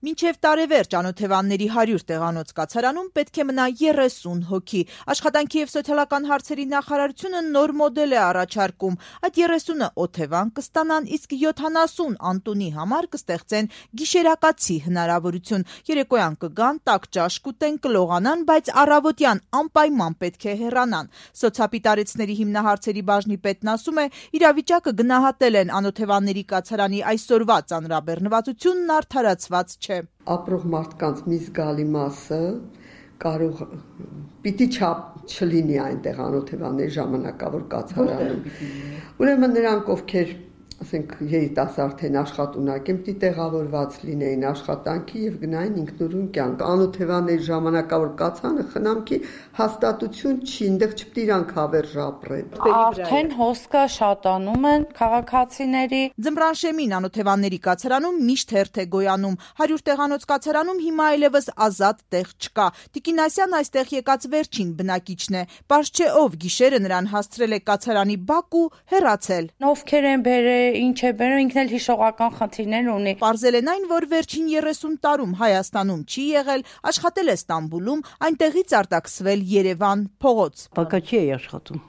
Մինչև տարեվերջ անօթևանների 100 տեղանոց կացարանում պետք է մնա 30 հոգի։ Աշխատանքի և սոցիալական հարցերի նախարարությունը նոր մոդել է առաջարկում։ Այդ 30-ը օթևան կստանան, իսկ 70 անտունի համար կստեղծեն գիշերակացի հնարավորություն։ Երեկոյան կգան, տաք ճաշ կուտեն, կլողանան, բայց առավոտյան անպայման պետք է հեռանան։ Սոցիալապիտարեցների հիմնահարցերի բաժնի պետն ասում է, իրավիճակը գնահատել են, անօթևանների կացարանի այսօրվա ծանրաբեռնվածությունն արդարացված չէ։ Ապրող մարդկանց մի զգալի մասը կարող պիտի չափ չլինի այնտեղ անօթևանների ժամանակավոր կացարանում։ Ուրեմն նրանք, ովքեր ասենք երիտասարդ են, աշխատունակ են, պիտի տեղավորված լինեին աշխատանքի եւ գնային ինքնուրույն կյանք։ Անօթևանների ժամանակավոր կացանը խնամքի հաստատություն չի, այնտեղ չպիտի իրանք հավերժ ապրեն։ Արդեն հոսքը շատանում են քաղաքացիների։ Ձմռան շեմին անօթևանների կացարանում միշտ հերթ է գոյանում։ 100 տեղանոց կացարանում հիմա այլևս ազատ տեղ չկա։ Տիկին Ասյան այստեղ եկած վերջին բնակիչն է։ Պարզ չէ ով գիշերը նրան հասցրել է կացարանի բակ ու հեռացել։ Ովքեր են բերել, ինչ է բերել, ինքն էլ հիշողական խնդիրներ ունի։ Պարզել են այն, որ վերջին 30 տարում Հայաստանում չի եղել, աշխատել է Ստամբուլում, այնտեղից արտաքսվել Երևան փողոց։ Բակաչի է աշխատում։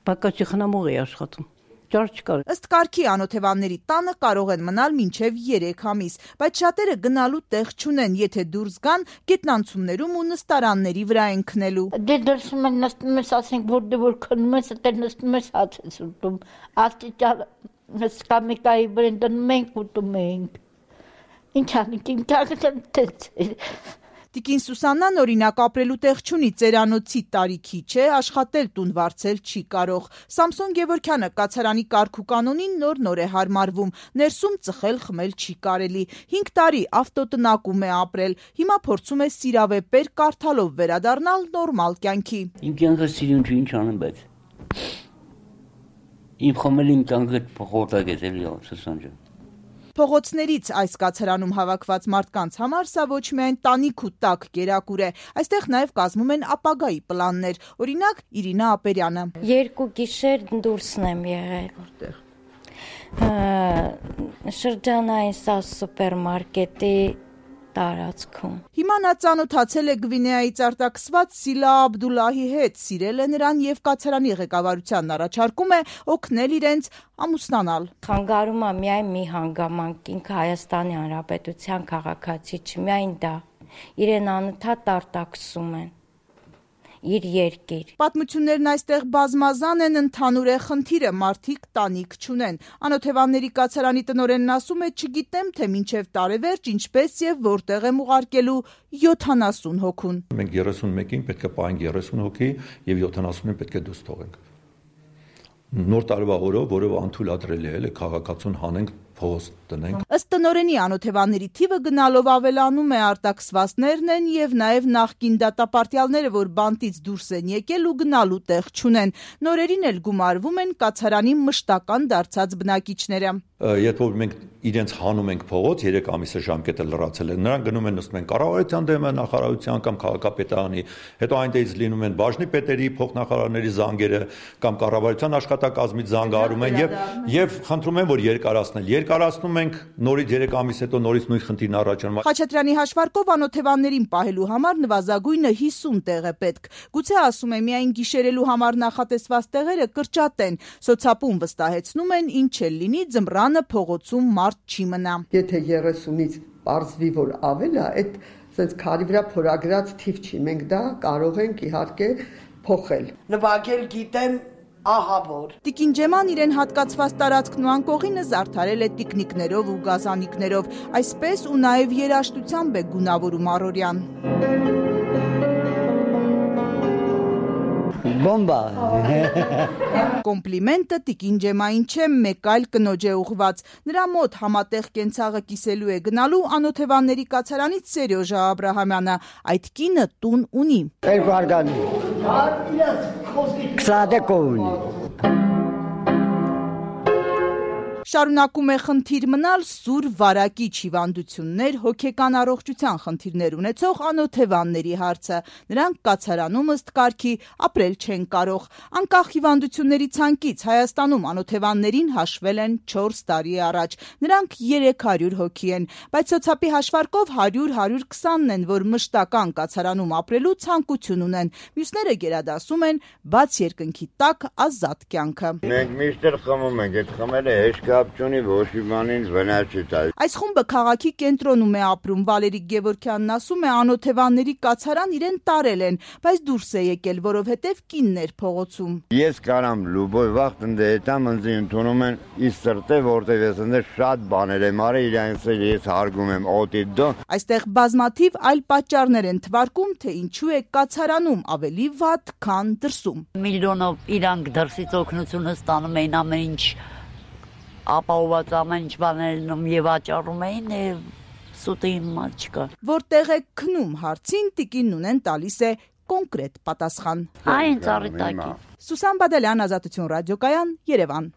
Բակաչի խնամող է աշխատում։ Ըստ կարգի անօթևանների տանը կարող են մնալ մինչև 3 ամիս, բայց շատերը գնալու տեղ չունեն, եթե դուրս գան, գետնանցումներում ու նստարանների վրա են քնելու։ Դե դրսում են նստում ես, ասենք, որ քնում ես, դե նստում ես հաց ես ուտում։ Աստիճան սկամիկայի վրան դնում ենք ուտում ենք։ Ինչ անենք, իմ կյանքը տենց է։ Տիկին Սուսաննան օրինակ ապրելու տեղ չունի, ծերանոցի տարիքի չէ, աշխատել տուն վարձել չի կարող։ Սամսոն Գևորգյանը կացարանի կարգ ու կանոնին նոր է հարմարվում, ներսում ծխել խմել չի կարելի։ 5 տարի ավտոտնակում է ապրել, հիմա փորձում է սիրավեպեր կարդալով վերադառնալ նորմալ կյանքի։ Իմ կյանքը սիրուն չի, ինչ անեմ, բայց իմ խմել իմ կյանքը փոխորտակ է էլի Սուսան ջան։ Փողոցներից այս կացարանում հավաքված մարդկանց համար սա ոչ միայն տանիք ու տաք կերակուր է, այստեղ նաև կազմում են ապագայի պլաններ, օրինակ Իրինա Ապերյանը։ 2 գիշեր դուրսն եմ եղել։ Շրջանային սա սուպերմարկետի տարածքում։ Հիմա նա ծանոթացել է Գվինեայից արտաքսված Սիլա Աբդուլլահի հետ, սիրել է նրան եւ կացարանի ղեկավարությանն առաջարկում է օգնել իրենց ամուսնանալ։ Խանգարում է միայն մի հանգամանք, ինքը Հայաստանի Հանրապետության քաղաքացի չի, միայն դա։ Իրեն անընդհատ արտաքսում են։ Իր երկիր։ Պատմություններն այստեղ բազմազան են, ընդհանուր է խնդիրը, մարդիկ տանիք չունեն։ Անօթևանների կացարանի տնօրենն ասում է, չգիտեմ, թե մինչև տարեվերջ ինչպես եւ որտեղ եմ ուղարկելու 70 հոգուն։ Մենք 31-ին պետք է պահենք 30 հոգի եւ 70-ին պետք է դուրս թողենք։ Նոր տարվա օրով, որով անթույլատրելի է քաղաքացուն հանենք փողոց տնենք։ Ըստ տնօրենի անօթևանների թիվը գնալով ավելանում է, արտաքսվածներն են եւ նաեւ նախկին դատապարտյալները, որ բանտից դուրս են եկել ու գնալու տեղ չունեն։ Նորերին էլ գումարվում են կացարանի մշտական դարձած բնակիչները։ Երբ որ մենք իրենց հանում ենք փողոց, 3 ամիսը ժամկետը լրացել է, նրանք գնում են նստում են կառավարության դեմը, նախարարության կամ քաղաքապետարանի, հետո այնտեղից լինում են բաժնի պետերի, փոխնախարարների զանգերը կամ կառավարության աշխատակազմից զանգահարում են եւ խնդրում են, որ երկարացնում ենք, նորից 3 ամիս հետո նորից նույն խնդիրն առաջանում։ Խաչատրյանի հաշվարկով անօթևաններին պահելու համար նվազագույնը 50 տեղ է պետք։ Գուցե ասում է միայն գիշերելու համար նախատեսված տեղերը կրճատեն։ Սոցապում վստահեցնում են, ինչ էլ լինի, ձմռանը փողոցում մարդ չի մնա։ Եթե 30-ից պարզվի, որ ավել է, այդ sense քարի վրա փորագրած թիվ չի։ Մենք դա կարող ենք իհարկե փոխել։ Նվագել գիտեմ ահա որ։ Տիկին Ջեման իրեն հատկացված տարածքն ու անկողինը զարդարել է տիկնիկներով ու գազանիկներով, այսպես ու նաև երաժշտությամբ է գունավորում առօրյան։ Բոմբա։ Կոմպլիմենտը տիկին Ջեմային չէ, մեկ այլ կնոջ է ուղված։ Նրա մոտ համատեղ կենցաղը կիսելու է գնալու անօթևանների կացարանից Սերյոժա Աբրահամյանը։ Այդ կինը տուն ունի։ 2 արգանի։ 20 ունի։ Շարունակում է խնդիր մնալ սուր վարակիչ հիվանդություններ, հոգեկան առողջության խնդիրներ ունեցող անօթևանների հարցը։ Նրանք կացարանում ըստ կարգի ապրել չեն կարող։ Անկախ հիվանդությունների ցանկից Հայաստանում անօթևաններին հաշվել են 4 տարի առաջ։ Նրանք 300 հոգի են, բայց սոցիալի հաշվարկով 100-120-ն են, որ մշտական կացարանում ապրելու ցանկություն ունեն։ Մյուսները գերադասում են բաց երկնքի տակ ազատ կյանքը։ Մենք միշտ խմում ենք, այդ խմելը հեշտ կապ չունի, ոչ մի բանին վնաս չի տալիս։ Այս խումբը քաղաքի կենտրոնում է ապրում։ Վալերիկ Գևորգյանն ասում է, անօթևանների կացարան իրեն տարել են, բայց դուրս է եկել, որովհետև կինն էր փողոցում։ Ես կարամ լուբոյ վաղ տնտե հետամ ինձ ընդունում են իս սրտե, որտեղ ես ընդ շատ բաներ եմ արել, իրանց ես հարգում եմ օտի դո։ Այստեղ բազմաթիվ այլ պատճառներ են թվարկում, թե ինչու է կացարանում ավելի վատ, քան դրսում։ Միլիոնով իրանք դրսից օգնությունը ստանում էին, ամեն ինչ ապահոված, ամեն ինչ բաներում եւ աճառում էին, սուտի մատ չկա։ Որտեղ է քնում հարցին, տիկինն ունեն տալիս է կոնկրետ պատասխան։ Այն ծառի տակի։ Սուսան Բադալյան, Ազատություն ռադիոկայան, Երևան։